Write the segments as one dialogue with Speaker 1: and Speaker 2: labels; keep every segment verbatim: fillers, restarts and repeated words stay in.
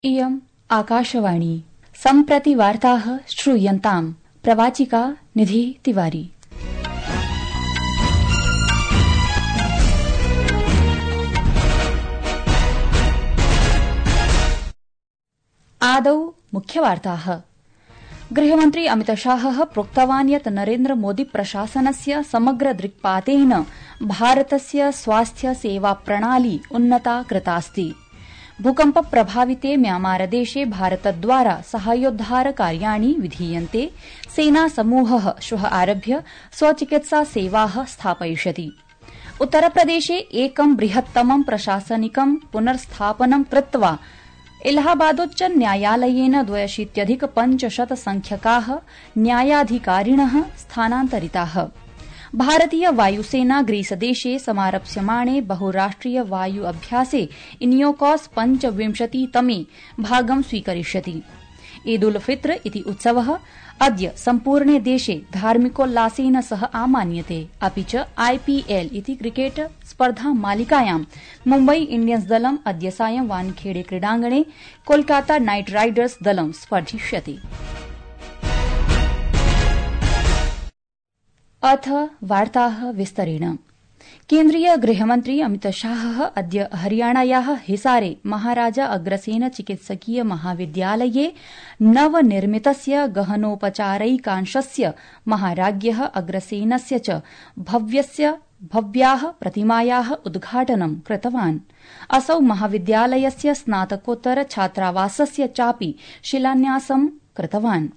Speaker 1: इयम् आकाशवाणी सम्प्रति वार्ताः श्रूयन्ताम्। प्रवाचिका निधि तिवारी। आदौ मुख्यवार्ताः। गृहमन्त्री अमितशाहः प्रोक्तवान् यत् नरेन्द्र मोदी प्रशासनस्य समग्र दृक्पातेन भारतस्य स्वास्थ्य सेवा प्रणाली उन्नता कृतास्ति। भूकम्प प्रभाविते म्यांमारदेशे भारतद्वारा साहाय्योद्धार कार्याणि विधीयन्ते। सेना समूहः श्वः आरभ्य स्वचिकित्सा सेवाः स्थापयिष्यति। उत्तरप्रदेशे एकं बृहत्तमं प्रशासनिकं पुनर्स्थापनं कृत्वा इलाहाबादोच्च न्यायालयेन द्व्यशीत्यधिक पञ्चशत संख्यकाः न्यायाधिकारिणः स्थानान्तरिताः। भारतीय वायुसेना ग्रीसदेशे समारप्स्यमाणे बहुराष्ट्रिय वायु अभ्यासे इनियोकॉस पञ्चविंशतितमे भागं स्वीकरिष्यति। ईद उल फित्र इति उत्सवः अद्य सम्पूर्णे देशे धार्मिकोल्लासेन सह आमान्यते। अपि च आईपीएल इति क्रिकेट स्पर्धा मालिकायां मुम्बई इण्डियन्स दलम् अद्य सायं वानखेड़े क्रीडाङ्गणे कोलकाता नाइट राइडर्स दलं स्पर्धिष्यति। अथ वार्ताः विस्तरेण। केन्द्रीय गृहमन्त्री अमितशाहः अद्य हरियाणायाः हिसारे महाराजा अग्रसेन चिकित्सकीय महाविद्यालये नवनिर्मितस्य गहनोपचारैकांशस्य महाराज्ञः अग्रसेनस्य च भव्यस्य भव्याः प्रतिमायाः उद्घाटनं कृतवान्। असौ महाविद्यालयस्य स्नातकोत्तर छात्रावासस्य चापि शिलान्यासं कृतवान्।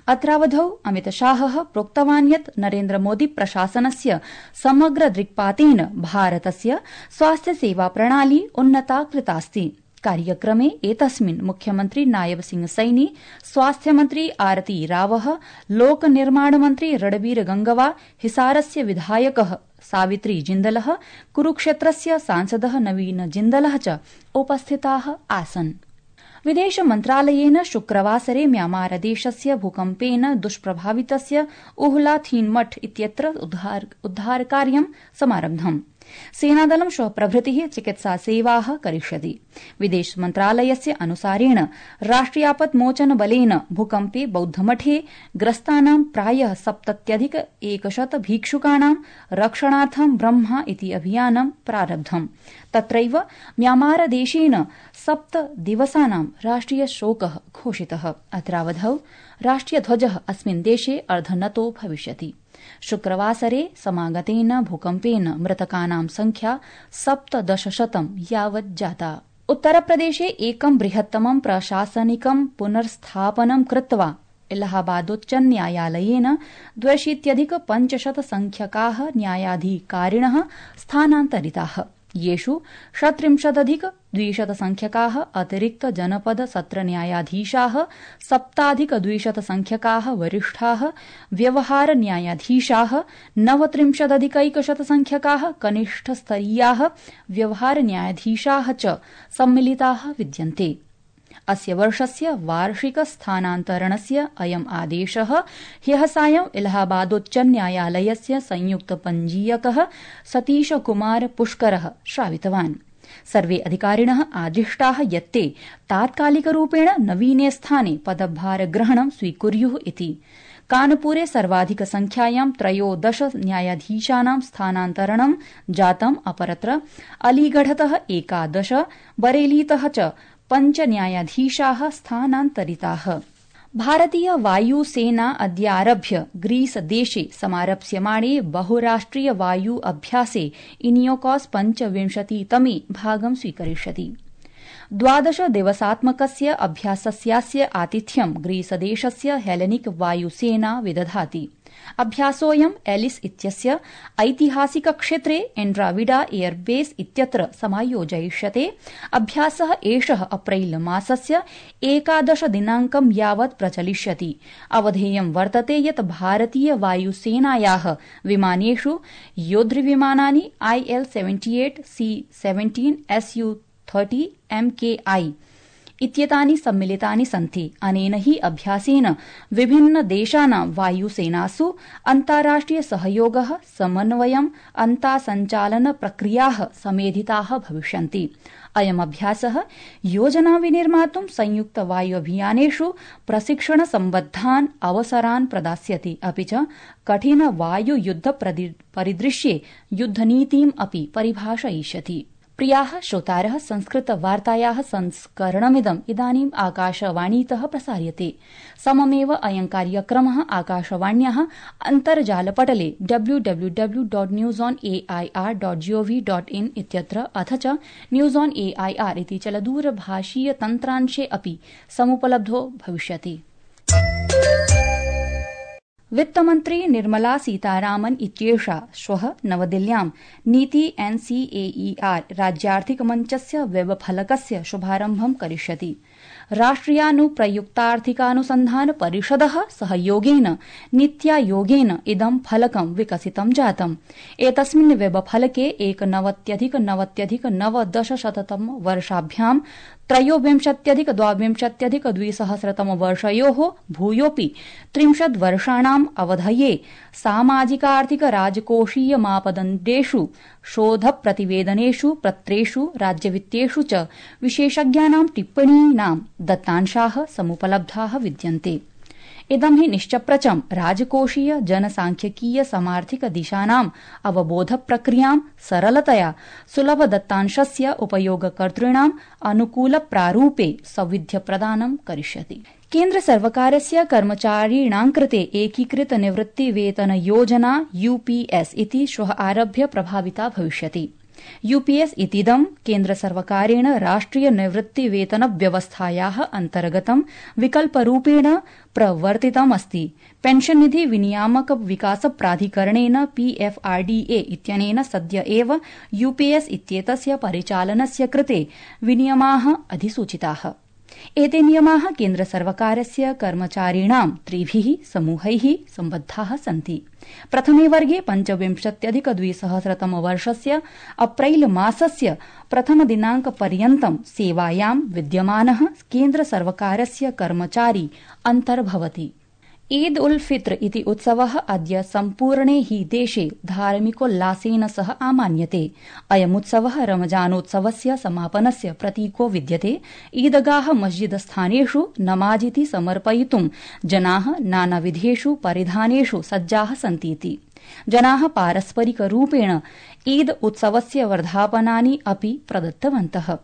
Speaker 1: अत्रावधौ अमितशाहः प्रोक्तवान् यत् नरेन्द्र मोदी प्रशासनस्य समग्र दृक्पातेन भारतस्य स्वास्थ्य सेवा प्रणाली उन्नता कृतास्ति। कार्यक्रमे एतस्मिन् मुख्यमन्त्री नायब सिंह सैनी, स्वास्थ्यमन्त्री आरती रावः, लोकनिर्माणमन्त्री रणबीर गंगवा, हिसारस्य विधायकः सावित्री जिन्दलः, कुरुक्षेत्रस्य सांसदः नवीन जिन्दलः च उपस्थिताः आसन्। विदेश मन्त्रालयेन शुक्रवासरे म्यांमारदेशस्य भूकम्पेन दुष्प्रभावितस्य उहला थीनमठ इत्यत्र उद्धारकार्यं समारब्धम्। सेनादलं श्वः प्रभृतिः चिकित्सा सेवाः करिष्यति। विदेश मन्त्रालयस्य अनुसारेण राष्ट्रियापत्मोचन बलेन भूकम्पे बौद्धमठे ग्रस्तानां प्रायः सप्तत्यधिक एकशत भिक्षुकाणां रक्षणार्थं ब्रह्मा इति अभियानं प्रारब्धम्। तत्रैव म्यांमारदेशेन सप्त दिवसानां राष्ट्रिय शोकः घोषितः। अत्रावधौ राष्ट्रियध्वजः अस्मिन् देशे अर्धनतो भविष्यति। शुक्रवासरे समागतेन भूकम्पेन मृतकानां संख्या सप्तदशशतं यावत् जाता। उत्तरप्रदेशे एकं बृहत्तमं प्रशासनिकं पुनर्स्थापनं कृत्वा इलाहाबादोच्च न्यायालयेन द्व्यशीत्यधिक पञ्चशत संख्यकाः न्यायाधिकारिणः स्थानान्तरिताः। येषु षट्त्रिंशदधिक द्विशत संख्यकाः अतिरिक्त जनपद सत्र न्यायाधीशाः, सप्ताधिक द्विशत संख्यकाः वरिष्ठाः व्यवहार न्यायाधीशाः, नवत्रिंशदधिकैकशत संख्यकाः कनिष्ठस्तरीयाः व्यवहार न्यायाधीशाः च सम्मिलिताः विद्यन्ते। अस्य वर्षस्य वार्षिक स्थानान्तरणस्य अयम् आदेशः ह्यः सायं इलाहाबादोच्च न्यायालयस्य संयुक्त पञ्जीयकः सतीश कुमार पुष्करः श्रावितवान्। सर्वे अधिकारिणः आदिष्टाः यत् ते तात्कालिकरूपेण नवीने स्थाने पदभारग्रहणं स्वीकुर्युः इति। कानपुरे सर्वाधिक संख्यायां त्रयोदश न्यायाधीशानां स्थानान्तरणं जातम्। अपरत्र अलीगढ़तः एकादश, बरेलीतः च पञ्च न्यायाधीशाः स्थानान्तरिताः। भारतीय वायुसेना अद्यारभ्य ग्रीसदेशे समारप्स्यमाणे बहुराष्ट्रिय वायु अभ्यासे इनियोकॉस पञ्चविंशतितमे भागं स्वीकरिष्यति। द्वादश दिवसात्मकस्य अभ्यासस्यास्य आतिथ्यं ग्रीसदेशस्य हेलेनिक वायुसेना विदधाति। अभ्यासोऽयं एलिस इत्यस्य ऐतिहासिक क्षेत्रे एन्ड्राविडा एयरबेस इत्यत्र समायोजयिष्यते। अभ्यासः एषः अप्रैल मासस्य एकादश दिनाङ्कं यावत् प्रचलिष्यति। अवधेयं वर्तते यत् भारतीय वायुसेनायाः विमानेषु योद्धृविमानानि IL seventy eight, C seventeen, SU thirty, MKI इत्येतानि सम्मिलितानि सन्ति। अनेन हि अभ्यासेन विभिन्न देशानां वायुसेनासु अन्ताराष्ट्रिय सहयोगः, समन्वयम्, अन्तासञ्चालन प्रक्रियाः समेधिताः भविष्यन्ति। अयमभ्यासः योजना विनिर्मातुं संयुक्त वायुअभियानेषु प्रशिक्षण सम्बद्धान् अवसरान् प्रदास्यति, अपि च कठिन वायुयुद्ध परिदृश्ये युद्धनीतिम् अपि परिभाषयिष्यति। प्रियाः श्रोतारः, संस्कृतवार्तायाः संस्करणमिदम् इदानीम् आकाशवाणीतः प्रसार्यते। सममेव अयं कार्यक्रमः आकाशवाण्याः अन्तर्जालपटले W W W dot news on A I R dot GOV dot in इत्यत्र अथ च news on A I R इति चलदूरभाषीय तन्त्रांशे अपि समुपलब्धो भविष्यति। वित्तमन्त्री निर्मला सीतारामन इत्येषा श्वः नवदिल्ल्यां नीति एनसीएईआर राज्यार्थिकमञ्चस्य वेबफलकस्य शुभारम्भं करिष्यति। राष्ट्रियानुप्रयुक्तार्थिकानुसन्धान परिषदः सहयोगेन नीत्यायोगेन इदं फलकं विकसितं जातम्। एतस्मिन् वेबफलके एकनवत्यधिक नवत्यधिक नवदशशततम वर्षाभ्यां त्रयोविंशत्यधिक द्वाविंशत्यधिक द्विसहस्रतम वर्षयोः भूयोऽपि त्रिंशत् वर्षाणाम् अवधये सामाजिकार्थिक राजकोषीय मापदण्डेषु शोधप्रतिवेदनेषु पत्रेषु राज्यवित्तेषु च विशेषज्ञानां टिप्पणीनां दत्तांशाः समुपलब्धाः विद्यन्ते। इदं हि निश्चप्रचं राजकोषीय जनसांख्यिकीय समार्थिक दिशानाम् अवबोध प्रक्रियां सरलतया सुलभ दत्तांशस्य उपयोगकर्तॄणाम् अनुकूल प्रारूपे सौविध्य प्रदानं करिष्यति। केन्द्र सर्वकारस्य कर्मचारिणां कृते एकीकृत निवृत्ति वेतन योजना यूपीएस इति श्वः आरभ्य प्रभाविता भविष्यति। यूपीएस इतीदं केन्द्र सर्वकारेण राष्ट्रिय निवृत्ति वेतन व्यवस्थायाः अन्तर्गतं विकल्परूपेण प्रवर्तितमस्ति। पेंशन निधि विनियामक विकास प्राधिकरणेन पीएफआरडीए इत्यनेन सद्य एव यूपीएस इत्येतस्य परिचालनस्य कृते विनियमाः अधिसूचिताः। एते नियमाः केन्द्र सर्वकारस्य कर्मचारिणां त्रिभिः समूहैः सम्बद्धाः सन्ति। प्रथमे वर्गे पञ्चविंशत्यधिक द्विसहस्रतम वर्षस्य अप्रैल मासस्य प्रथम दिनांक पर्यन्तं सेवायां विद्यमानः केन्द्र सर्वकारस्य कर्मचारी अन्तर्भवति। ईद उल फित्र इति उत्सवः अद्य सम्पूर्णे हि देशे धार्मिकोल्लासेन सह आमान्यते। अयमुत्सवः रमजानोत्सवस्य समापनस्य प्रतीको विद्यते। ईदगाह मस्जिद स्थानेषु नमाजिति समर्पयितुं जनाः नानाविधेषु परिधानेषु सज्जाः सन्तीति। जनाः पारस्परिकरूपेण ईद उत्सवस्य वर्धापनानि अपि प्रदत्तवन्तः।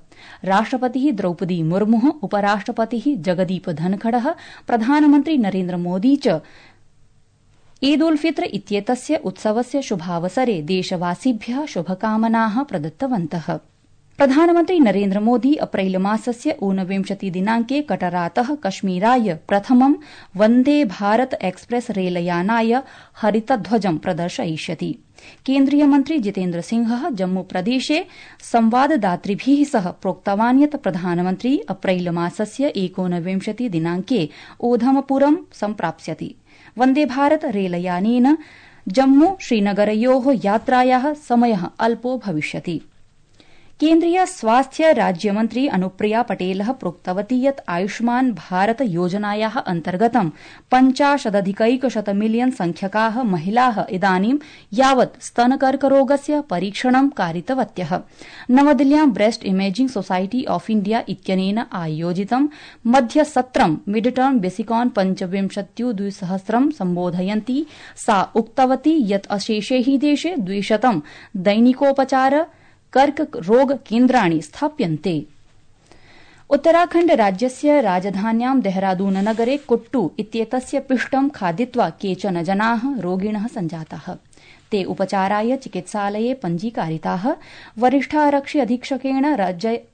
Speaker 1: राष्ट्रपतिः द्रौपदी मुर्मुः, उपराष्ट्रपतिः जगदीप धनखडः, प्रधानमन्त्री नरेन्द्र मोदी च ईद उल फित्र इत्येतस्य उत्सवस्य शुभावसरे देशवासिभ्यः शुभकामनाः प्रदत्तवन्तः। प्रधानमन्त्री नरेन्द्र मोदी अप्रैल मासस्य ऊनविंशति दिनांके कटरातः कश्मीराय प्रथमं वन्दे भारत एक्सप्रेस रेलयानाय हरितध्वजं प्रदर्शयिष्यति। केन्द्रीय मन्त्री जितेन्द्र सिंहः जम्मूप्रदेशे संवाददातृभिः सह प्रोक्तवान् यत् प्रधानमन्त्री अप्रैल मासस्य एकोनविंशति दिनांके ओधमपुरं सम्प्राप्स्यति। वन्दे भारत रेलयानेन जम्मू श्रीनगरयोः यात्रायाः समयः अल्पो भविष्यति। केन्द्रीय स्वास्थ्य राज्यमन्त्री अनुप्रिया पटेलः प्रोक्तवती यत् आयुष्मान भारत योजनायाः अन्तर्गतं पञ्चाशदधिकैकशत मिलियन संख्यकाः महिलाः इदानीं यावत् स्तनकर्करोगस्य परीक्षणं कारितवत्यः। नवदिल्ल्यां breast imaging society of India इत्यनेन आयोजितं मध्यसत्रं मिड टर्म बेसिकॉन पञ्चविंशत्युद्विसहस्रं सम्बोधयन्ती सा उक्तवती यत् अशेषे हि देशे द्विशतं दैनिकोपचार कर्करोग केन्द्राणि स्थाप्यन्ते। उत्तराखण्ड राज्यस्य राजधान्यां देहरादून नगरे कुट्टू इत्येतस्य पिष्टं खादित्वा केचन जनाः रोगिणः सञ्जाताः। ते उपचाराय चिकित्सालये पञ्जीकारिताः। वरिष्ठारक्षि अधीक्षकेण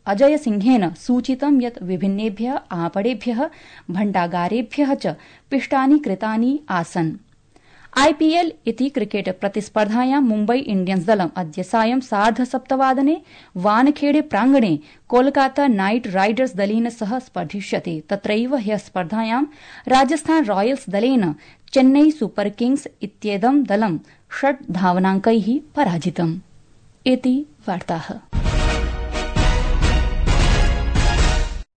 Speaker 1: अजय सिंहेन सूचितं यत् विभिन्नेभ्यः आपणेभ्यः भण्डागारेभ्यः च पिष्टानि कृतानि आसन्। आईपीएल इति क्रिकेट प्रतिस्पर्धायां मुम्बई इण्डियन्स दलम् अद्य सायं सार्धसप्तवादने वानखेड़े प्रांगणे कोलकाता नाइट राइडर्स दलेन सह स्पर्धिष्यते। तत्रैव ह्यः स्पर्धायां राजस्थान रॉयल्स दलेन चेन्नई सुपर किंग्स इत्येदं दलं षट् धावनांकैः पराजितम्। इति वार्ताः।